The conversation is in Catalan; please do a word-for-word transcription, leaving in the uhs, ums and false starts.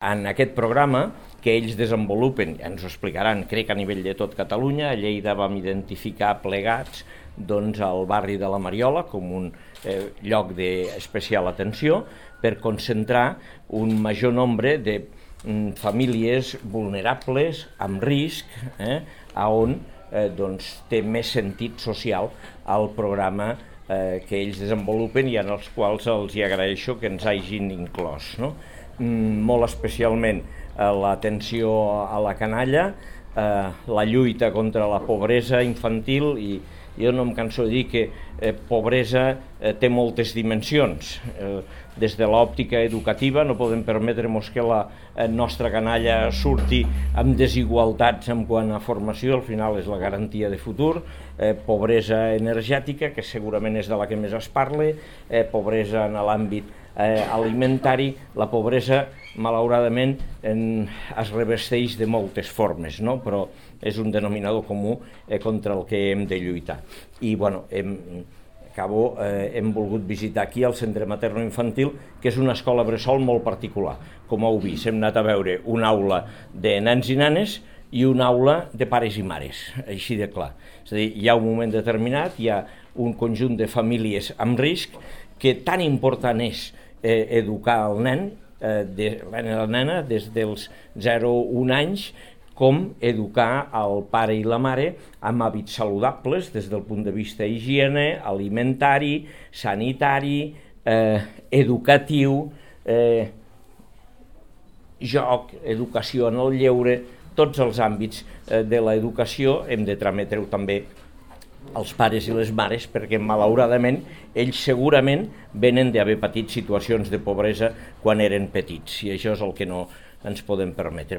En aquest programa que ells desenvolupen, ja ens ho explicaran, crec a nivell de tot Catalunya, a Lleida vam identificar plegats doncs, el barri de la Mariola com un eh, lloc d'especial atenció per concentrar un major nombre de mm, famílies vulnerables, amb risc, eh, on eh, doncs, té més sentit social el programa eh, que ells desenvolupen i en els quals els hi agraeixo que ens hagin inclòs, no? Molt especialment eh, l'atenció a la canalla, eh, la lluita contra la pobresa infantil, i jo no em canso de dir que eh, pobresa eh, té moltes dimensions. Eh, des de l'òptica educativa no podem permetre-nos que la eh, nostra canalla surti amb desigualtats en quant a formació, al final és la garantia de futur, eh, pobresa energètica, que segurament és de la que més es parla, eh, pobresa en l'àmbit Eh, alimentari. La pobresa, malauradament, en, es revesteix de moltes formes, no? Però és un denominador comú eh, contra el que hem de lluitar. I, bueno, hem, acabo, eh, hem volgut visitar aquí el Centre Materno-Infantil, que és una escola bressol molt particular. Com heu vist, hem anat a veure una aula de nens i nenes i una aula de pares i mares, així de clar. És a dir, hi ha un moment determinat, hi ha un conjunt de famílies amb risc, que tan important és eh, educar el nen, eh, de, la nena, des dels zero a un anys, com educar el pare i la mare amb hàbits saludables des del punt de vista higiene, alimentari, sanitari, eh, educatiu, eh, joc, educació en el lleure, tots els àmbits eh, de l'educació hem de trametre-ho també els pares i les mares, perquè malauradament ells segurament venen d'haver patit situacions de pobresa quan eren petits, i això és el que no ens podem permetre.